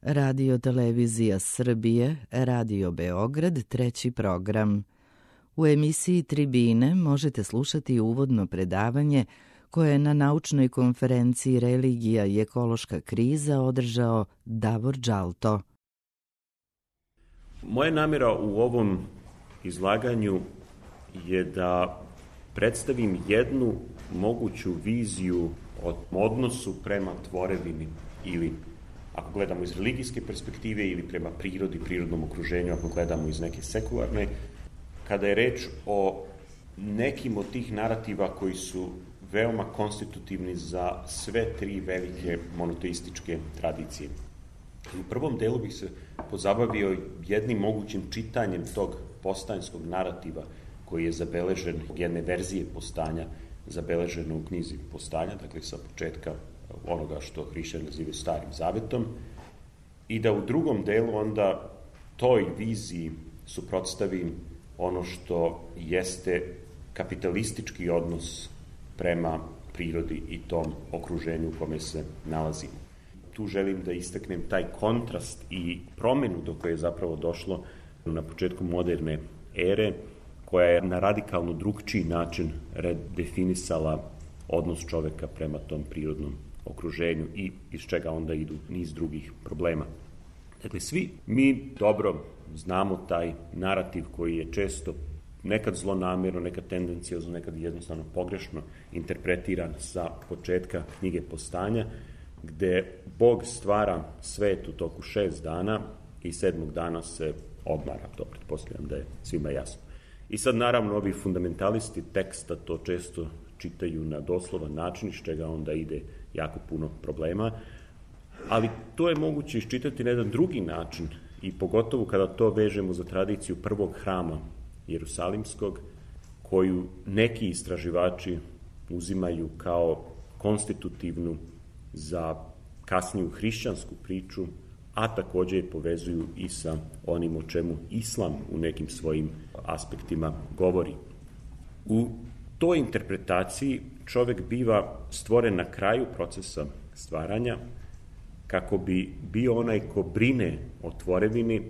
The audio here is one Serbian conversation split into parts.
Radio Televizija Srbije, Radio Beograd, treći program. U emisiji Tribine možete slušati uvodno predavanje koje je na naučnoj konferenciji Religija i ekološka kriza održao Davor Đalto. Moja namjera u ovom izlaganju je da predstavim jednu moguću viziju o odnosu prema tvorevini ili, ako gledamo iz religijske perspektive, ili prema prirodi, prirodnom okruženju, ako gledamo iz neke sekularne, kada je reč o nekim od tih narativa koji su veoma konstitutivni za sve tri velike monoteističke tradicije. U prvom delu bih se pozabavio jednim mogućim čitanjem tog postanjskog narativa koji je zabeležen, jedne verzije postanja zabeleženo u knjizi Postanja, dakle sa početka onoga što hrišćani nazivaju Starim Zavetom, i da u drugom delu onda toj viziji suprotstavim ono što jeste kapitalistički odnos prema prirodi i tom okruženju u kome se nalazimo. Tu želim da istaknem taj kontrast i promenu do koje je zapravo došlo na početku moderne ere, koja je na radikalno drugčiji način redefinisala odnos čoveka prema tom prirodnom okruženju i iz čega onda idu niz drugih problema. Dakle, svi mi dobro znamo taj narativ koji je često nekad zlonamjerno, nekad tendencijozno, nekad jednostavno pogrešno interpretiran sa početka knjige Postanja, gde Bog stvara svet u toku 6 dana i 7. dana se odmara. To pretpostavljam da je svima jasno. I sad, naravno, ovi fundamentalisti teksta to često čitaju na doslovan način, iz čega onda ide jako puno problema, ali to je moguće iščitati na jedan drugi način i pogotovo kada to vežemo za tradiciju prvog hrama Jerusalimskog, koju neki istraživači uzimaju kao konstitutivnu za kasniju hrišćansku priču, a takođe je povezuju i sa onim o čemu Islam u nekim svojim aspektima govori. U toj interpretaciji čovek biva stvoren na kraju procesa stvaranja kako bi bio onaj ko brine o tvorevini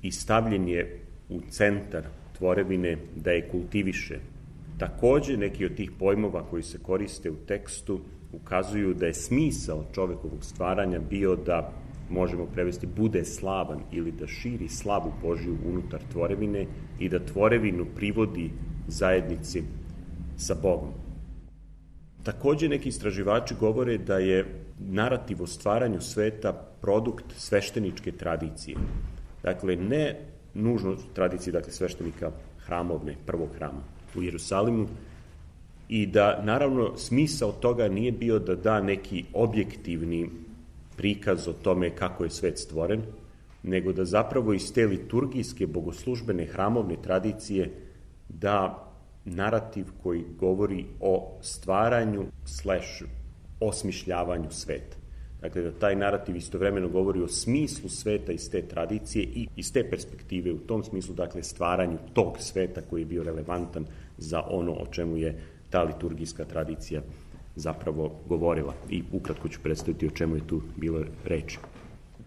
i stavljen je u centar tvorevine da je kultiviše. Takođe, neki od tih pojmova koji se koriste u tekstu ukazuju da je smisao čovekovog stvaranja bio da, možemo prevesti, bude slavan ili da širi slavu Božju unutar tvorevine i da tvorevinu privodi zajednici sa Bogom. Takođe, neki istraživači govore da je narativ o stvaranju sveta produkt svešteničke tradicije. Dakle, ne nužno tradicije, dakle, sveštenika hramovne, prvog hrama u Jerusalimu, i da, naravno, smisao toga nije bio da da neki objektivni prikaz o tome kako je svet stvoren, nego da zapravo iz te liturgijske, bogoslužbene, hramovne tradicije da narativ koji govori o stvaranju / osmišljavanju sveta. Dakle, da taj narativ istovremeno govori o smislu sveta iz te tradicije i iz te perspektive, u tom smislu, dakle, stvaranju tog sveta koji je bio relevantan za ono o čemu je ta liturgijska tradicija zapravo govorila. I ukratko ću predstaviti o čemu je tu bilo reči.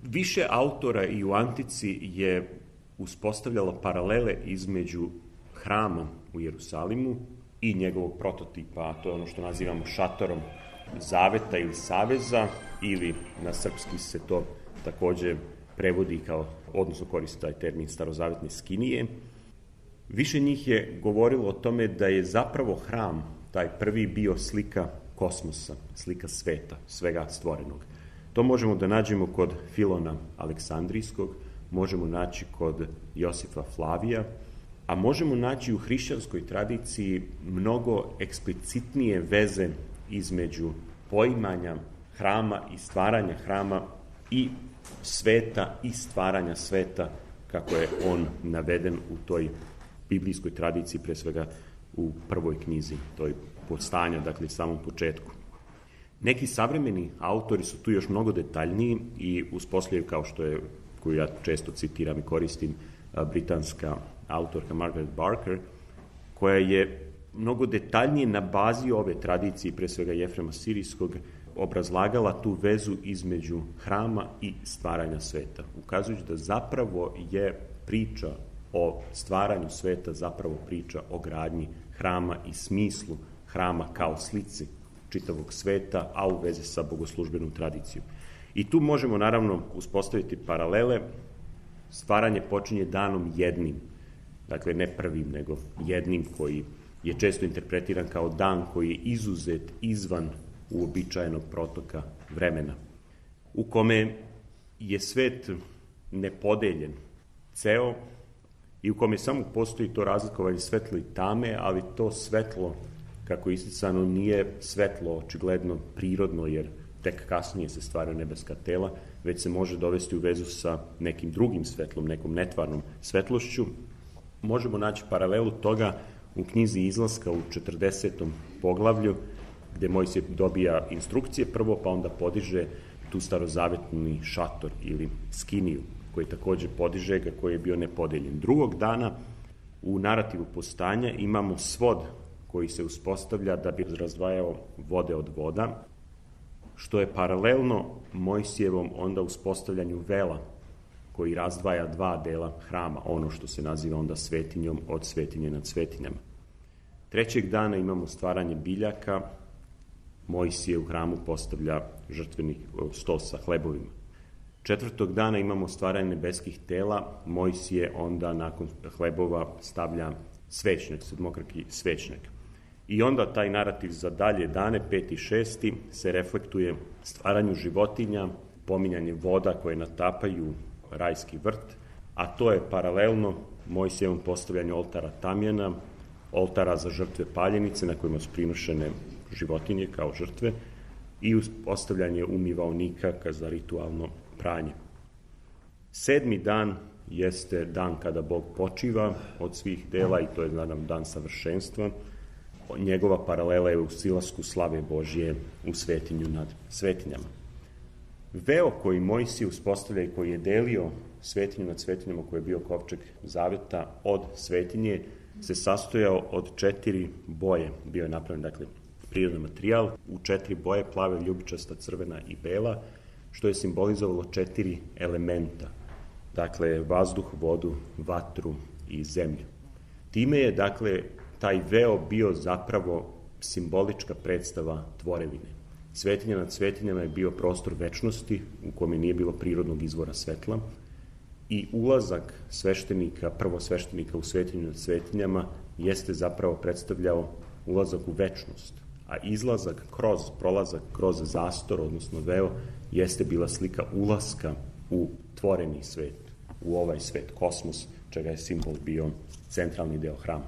Više autora i u antici je uspostavljalo paralele između hrama u Jerusalimu i njegovog prototipa, a to je ono što nazivamo šatorom zaveta ili saveza, ili na srpski se to takođe prevodi kao, odnosno koristi taj termin, starozavetne skinije. Više njih je govorilo o tome da je zapravo hram, taj prvi, bio slika kosmosa, slika sveta, svega stvorenog. To možemo da nađemo kod Filona Aleksandrijskog, možemo naći kod Josifa Flavija, a možemo naći u hrišćanskoj tradiciji mnogo eksplicitnije veze između poimanja hrama i stvaranja hrama i sveta i stvaranja sveta, kako je on naveden u toj biblijskoj tradiciji, pre svega u prvoj knjizi, toj Postanja, dakle samom početku. Neki savremeni autori su tu još mnogo detaljniji i uspostavljaju, kao što je, koju ja često citiram i koristim, britanska autorka Margaret Barker, koja je mnogo detaljnije na bazi ove tradicije, pre svega Jefrema Sirijskog, obrazlagala tu vezu između hrama i stvaranja sveta, ukazujući da zapravo je priča o stvaranju sveta zapravo priča o gradnji hrama i smislu hrama kao slici čitavog sveta, a u vezi sa bogoslužbenom tradicijom. I tu možemo naravno uspostaviti paralele. Stvaranje počinje danom jednim, dakle ne prvim, nego jednim, koji je često interpretiran kao dan koji je izuzet izvan uobičajenog protoka vremena, u kome je svet nepodeljen, ceo, i u kome samo postoji to razlikovanje svetlo i tame, ali to svetlo, kako je isticano, nije svetlo očigledno prirodno, jer tek kasnije se stvaraju nebeska tela, već se može dovesti u vezu sa nekim drugim svetlom, nekom netvarnom svetlošću. Možemo naći paralelu toga u knjizi Izlaska u 40. poglavlju, gde Mojsije dobija instrukcije prvo, pa onda podiže tu starozavetni šator ili skiniju, koji takođe podiže ga, koji je bio nepodeljen. Drugog dana u narativu postanja imamo svod koji se uspostavlja da bi razdvajao vode od voda, što je paralelno Mojsijevom onda uspostavljanju vela koji razdvaja dva dela hrama, ono što se naziva onda svetinjom od svetinje nad svetinjama. Trećeg dana imamo stvaranje biljaka, Mojsije u hramu postavlja žrtveni sto sa hlebovima. Četvrtog dana imamo stvaranje nebeskih tela, Mojsije onda nakon hlebova stavlja svećnjak, sedmokraki svećnjak. I onda taj narativ za dalje dane, 5. i 6. se reflektuje stvaranju životinja, pominjanje voda koje natapaju rajski vrt, a to je paralelno Mojsijevom postavljanju oltara tamjana, oltara za žrtve paljenice na kojima su prinošene životinje kao žrtve i postavljanje umivaonika za ritualno pranje. 7. dan jeste dan kada Bog počiva od svih dela i to je dan savršenstva. Njegova paralela je u silasku slave Božje u svetinju nad svetinjama. Veo koji Mojsije uspostavlja i koji je delio svetinju nad svetinjama, koji je bio kovčeg zaveta od svetinje, se sastojao od 4 boje. Bio je napravljen, dakle, prirodan materijal u 4 boje, plave, ljubičasta, crvena i bela, što je simbolizovalo 4 elementa. Dakle, vazduh, vodu, vatru i zemlju. Time je, dakle, taj veo bio zapravo simbolička predstava tvorevine. Svetinja nad svetinjama je bio prostor večnosti u kome nije bilo prirodnog izvora svetla i ulazak sveštenika, prvosveštenika u svetinju nad svetinjama jeste zapravo predstavljao ulazak u večnost, a izlazak prolazak kroz zastor, odnosno veo, jeste bila slika ulaska u tvoreni svet, u ovaj svet, kosmos, čega je simbol bio centralni deo hrama.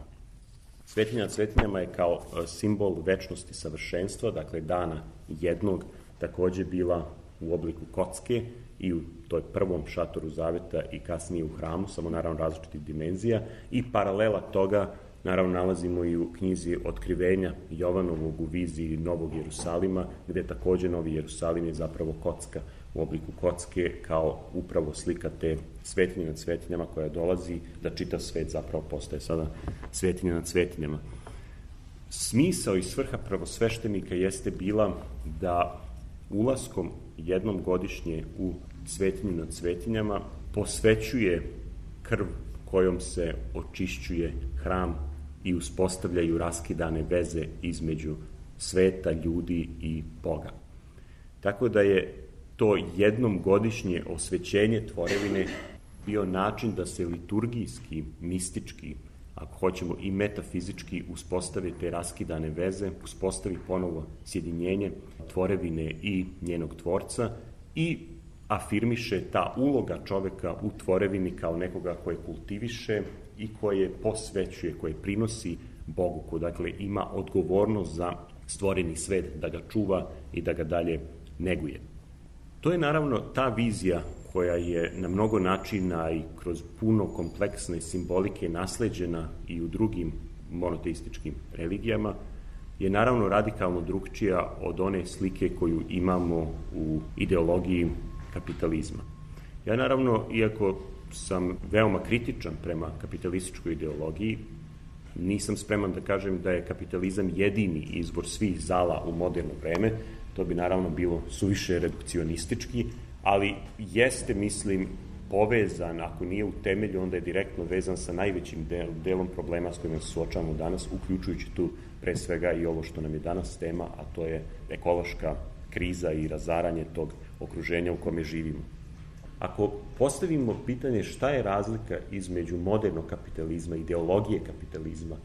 Svetinja nad svetinjama je kao simbol večnosti savršenstva, dakle dana jednog, takođe bila u obliku kocke i u toj prvom šatoru zaveta i kasnije u hramu, samo naravno različitih dimenzija, i paralela toga naravno nalazimo i u knjizi Otkrivenja Jovanovog u viziji Novog Jerusalima, gde takođe Novi Jerusalim je zapravo kocka u obliku kocke kao upravo slika te svetinje nad svetinjama koja dolazi da čitav svet zapravo postaje sada svetinja nad svetinjama. Smisao i svrha prvosveštenika jeste bila da ulaskom jednom godišnje u svetinju nad svetinjama posvećuje krv kojom se očišćuje hram i uspostavljaju raskidane veze između sveta, ljudi i Boga. Tako da je to jednom godišnje osvećenje tvorevine bio način da se liturgijski, mistički, ako hoćemo i metafizički uspostave te raskidane veze, uspostavi ponovo sjedinjenje tvorevine i njenog tvorca i afirmiše ta uloga čoveka u tvorevini kao nekoga koje kultiviše i koje posvećuje, koje prinosi Bogu, ko dakle ima odgovornost za stvoreni svet, da ga čuva i da ga dalje neguje. To je naravno ta vizija koja je na mnogo načina i kroz puno kompleksne simbolike nasleđena i u drugim monoteističkim religijama, je naravno radikalno drugčija od one slike koju imamo u ideologiji kapitalizma. Ja naravno, iako sam veoma kritičan prema kapitalističkoj ideologiji, nisam spreman da kažem da je kapitalizam jedini izvor svih zala u moderno vreme. To bi naravno bilo suviše redukcionistički, ali jeste, mislim, povezan, ako nije u temelju, onda je direktno vezan sa najvećim delom problema s kojima se suočavamo danas, uključujući tu pre svega i ovo što nam je danas tema, a to je ekološka kriza i razaranje tog okruženja u kome živimo. Ako postavimo pitanje šta je razlika između modernog kapitalizma, ideologije kapitalizma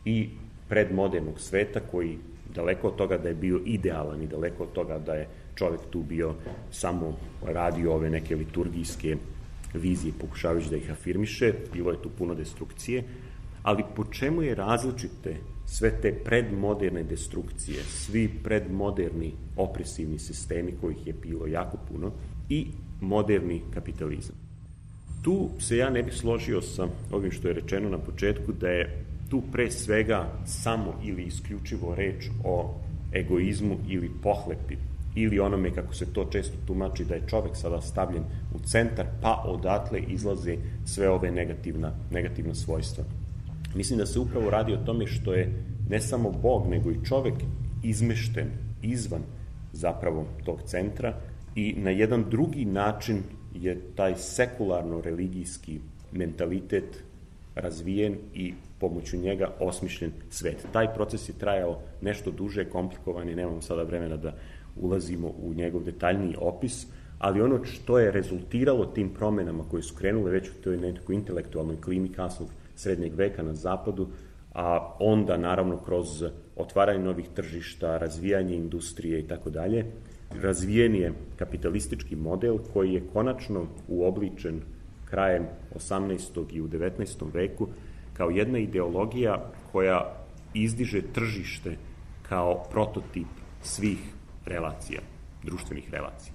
i predmodernog sveta, koji daleko od toga da je bio idealan i daleko od toga da je čovek tu bio samo radio ove neke liturgijske vizije, pokušavajući da ih afirmiše, bilo je tu puno destrukcije, ali po čemu je različite sve te predmoderne destrukcije, svi predmoderni opresivni sistemi kojih je bilo jako puno i moderni kapitalizam. Tu se ja ne bih složio sa ovim što je rečeno na početku, da je tu pre svega samo ili isključivo reč o egoizmu ili pohlepi, ili onome, kako se to često tumači, da je čovek sada stavljen u centar, pa odatle izlaze sve ove negativna svojstva. Mislim da se upravo radi o tome što je ne samo Bog, nego i čovek izmešten izvan zapravo tog centra i na jedan drugi način je taj sekularno-religijski mentalitet razvijen i pomoću njega osmišljen svet. Taj proces je trajao nešto duže, komplikovan i nemamo sada vremena da ulazimo u njegov detaljniji opis, ali ono što je rezultiralo tim promenama koje su krenule već u toj nekoj intelektualnoj klimi kasnog srednjeg veka na zapadu, a onda naravno kroz otvaranje novih tržišta, razvijanje industrije i tako dalje, razvijen je kapitalistički model koji je konačno uobličen krajem 18. i u 19. veku kao jedna ideologija koja izdiže tržište kao prototip svih relacija, društvenih relacija.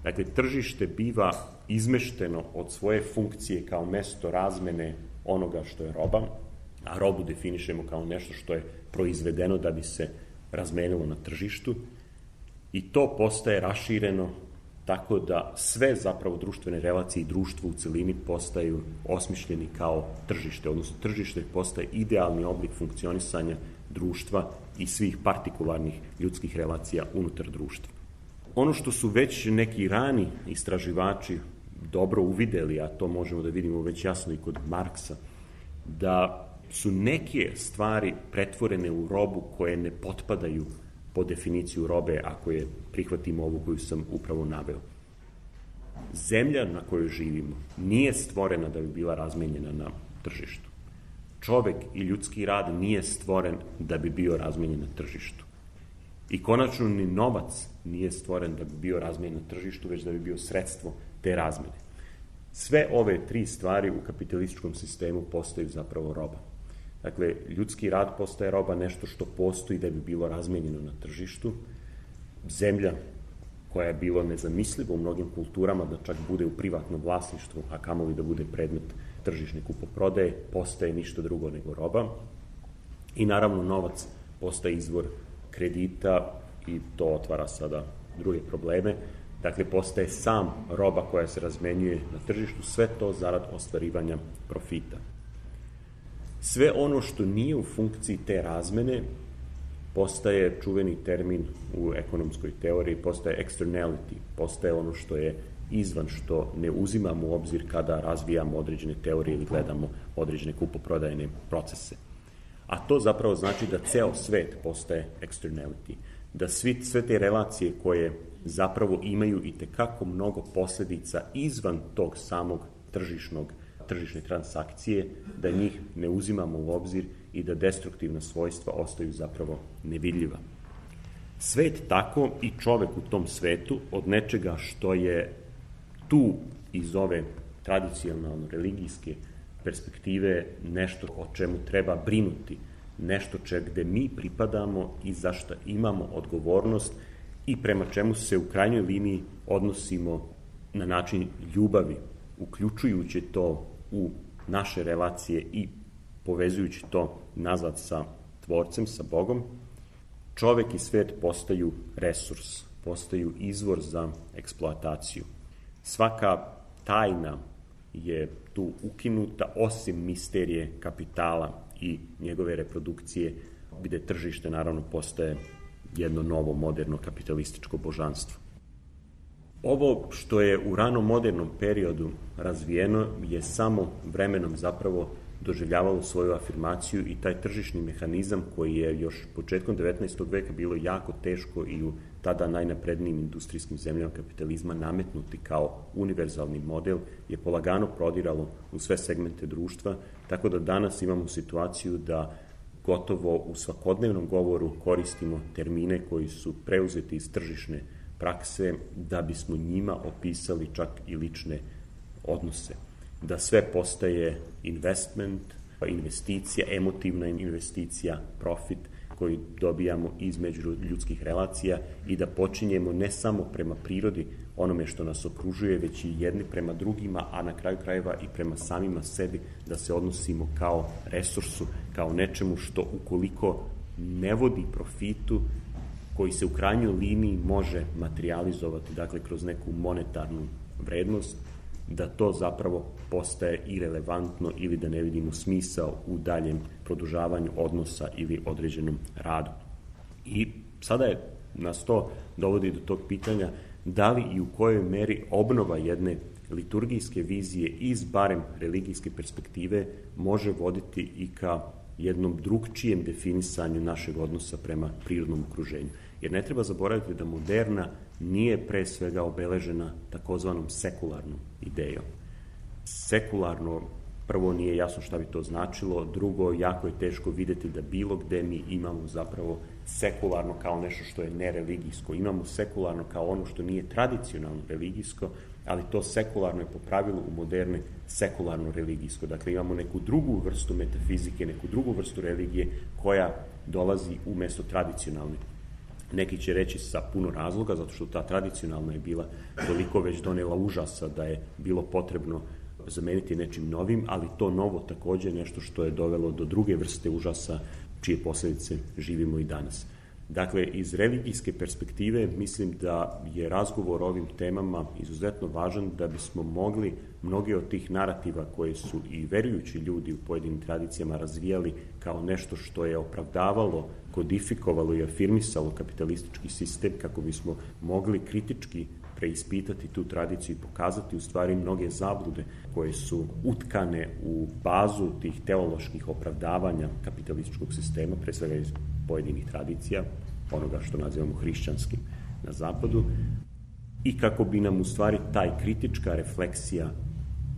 Dakle, tržište biva izmešteno od svoje funkcije kao mesto razmene onoga što je roba, a robu definišemo kao nešto što je proizvedeno da bi se razmenilo na tržištu, i to postaje rašireno tako da sve zapravo društvene relacije i društvo u celini postaju osmišljeni kao tržište, odnosno tržište postaje idealni oblik funkcionisanja društva i svih partikularnih ljudskih relacija unutar društva. Ono što su već neki rani istraživači dobro uvideli, a to možemo da vidimo već jasno i kod Marksa, da su neke stvari pretvorene u robu koje ne potpadaju po definiciju robe, ako je prihvatimo ovu koju sam upravo naveo. Zemlja na kojoj živimo nije stvorena da bi bila razmenjena na tržištu. Čovek i ljudski rad nije stvoren da bi bio razmenjen na tržištu. I konačno ni novac nije stvoren da bi bio razmenjen na tržištu, već da bi bio sredstvo te razmene. Sve ove tri stvari u kapitalističkom sistemu postaju zapravo roba. Dakle, ljudski rad postaje roba, nešto što postoji da bi bilo razmenjeno na tržištu. Zemlja, koja je bilo nezamisliva u mnogim kulturama da čak bude u privatnom vlasništvu, a kamoli da bude predmet tržišne kupoprodaje, postaje ništa drugo nego roba. I naravno novac postaje izvor kredita i to otvara sada druge probleme. Dakle, postaje sam roba koja se razmenjuje na tržištu, sve to zarad ostvarivanja profita. Sve ono što nije u funkciji te razmene postaje čuveni termin u ekonomskoj teoriji, postaje externality, postaje ono što je izvan, što ne uzimamo u obzir kada razvijamo određene teorije ili gledamo određene kupoprodajne procese. A to zapravo znači da ceo svet postaje externality, da sve te relacije koje zapravo imaju i tekako mnogo posledica izvan tog samog tržišne transakcije, da njih ne uzimamo u obzir i da destruktivna svojstva ostaju zapravo nevidljiva. Svet tako i čovek u tom svetu od nečega što je tu iz ove tradicionalno religijske perspektive nešto o čemu treba brinuti, nešto gde mi pripadamo i za što imamo odgovornost i prema čemu se u krajnjoj liniji odnosimo na način ljubavi, uključujući to u naše relacije i povezujući to nazad sa Tvorcem, sa Bogom, čovek i svet postaju resurs, postaju izvor za eksploataciju. Svaka tajna je tu ukinuta, osim misterije kapitala i njegove reprodukcije, gde tržište naravno postaje jedno novo, moderno, kapitalističko božanstvo. Ovo što je u ranom modernom periodu razvijeno je samo vremenom zapravo doživljavalo svoju afirmaciju i taj tržišni mehanizam koji je još početkom 19. veka bilo jako teško i u tada najnaprednijim industrijskim zemljama kapitalizma nametnuti kao univerzalni model je polagano prodiralo u sve segmente društva, tako da danas imamo situaciju da gotovo u svakodnevnom govoru koristimo termine koji su preuzeti iz tržišne prakse da bismo njima opisali čak i lične odnose. Da sve postaje investment, investicija, emotivna investicija, profit koji dobijamo između ljudskih relacija i da počinjemo ne samo prema prirodi onome što nas okružuje, već i jedni prema drugima, a na kraju krajeva i prema samima sebi, da se odnosimo kao resursu, kao nečemu što ukoliko ne vodi profitu, koji se u krajnjoj liniji može materializovati, dakle kroz neku monetarnu vrednost, da to zapravo postaje irelevantno ili da ne vidimo smisao u daljem produžavanju odnosa ili određenom radu. I sada je nas to dovodi do tog pitanja da li i u kojoj meri obnova jedne liturgijske vizije iz barem religijske perspektive može voditi i ka jednom drugčijem definisanju našeg odnosa prema prirodnom okruženju. Jer ne treba zaboraviti da moderna nije pre svega obeležena takozvanom sekularnom idejom. Sekularno, prvo nije jasno šta bi to značilo, drugo, jako je teško videti da bilo gde mi imamo zapravo sekularno kao nešto što je nereligijsko. Imamo sekularno kao ono što nije tradicionalno religijsko, ali to sekularno je po pravilu u moderne sekularno religijsko. Dakle, imamo neku drugu vrstu metafizike, neku drugu vrstu religije koja dolazi umesto tradicionalne. Neki će reći sa puno razloga, zato što ta tradicionalna je bila toliko već donela užasa da je bilo potrebno zameniti nečim novim, ali to novo takođe je nešto što je dovelo do druge vrste užasa čije posljedice živimo i danas. Dakle, iz religijske perspektive mislim da je razgovor o ovim temama izuzetno važan da bismo mogli mnoge od tih narativa koje su i verujući ljudi u pojedinim tradicijama razvijali kao nešto što je opravdavalo, kodifikovalo i afirmisalo kapitalistički sistem, kako bismo mogli kritički preispitati tu tradiciju i pokazati u stvari mnoge zablude koje su utkane u bazu tih teoloških opravdavanja kapitalističkog sistema, pre svega iz pojedinih tradicija, onoga što nazivamo hrišćanskim na zapadu, i kako bi nam u stvari taj kritička refleksija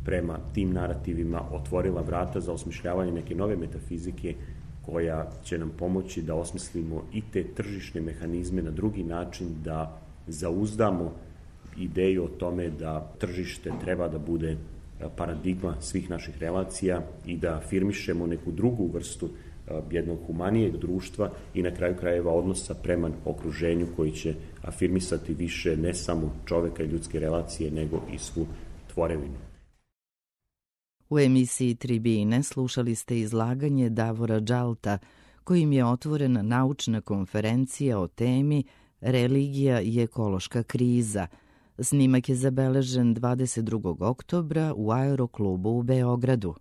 prema tim narativima otvorila vrata za osmišljavanje neke nove metafizike koja će nam pomoći da osmislimo i te tržišne mehanizme na drugi način, da zauzdamo ideju o tome da tržište treba da bude paradigma svih naših relacija i da afirmišemo neku drugu vrstu jednog humanijeg društva i na kraju krajeva odnosa prema okruženju koji će afirmisati više ne samo čoveka i ljudske relacije, nego i svu tvorevinu. U emisiji Tribine slušali ste izlaganje Davora Džalta, kojim je otvorena naučna konferencija o temi Religija i ekološka kriza. Snimak je zabeležen 22. oktobra u Aeroklubu u Beogradu.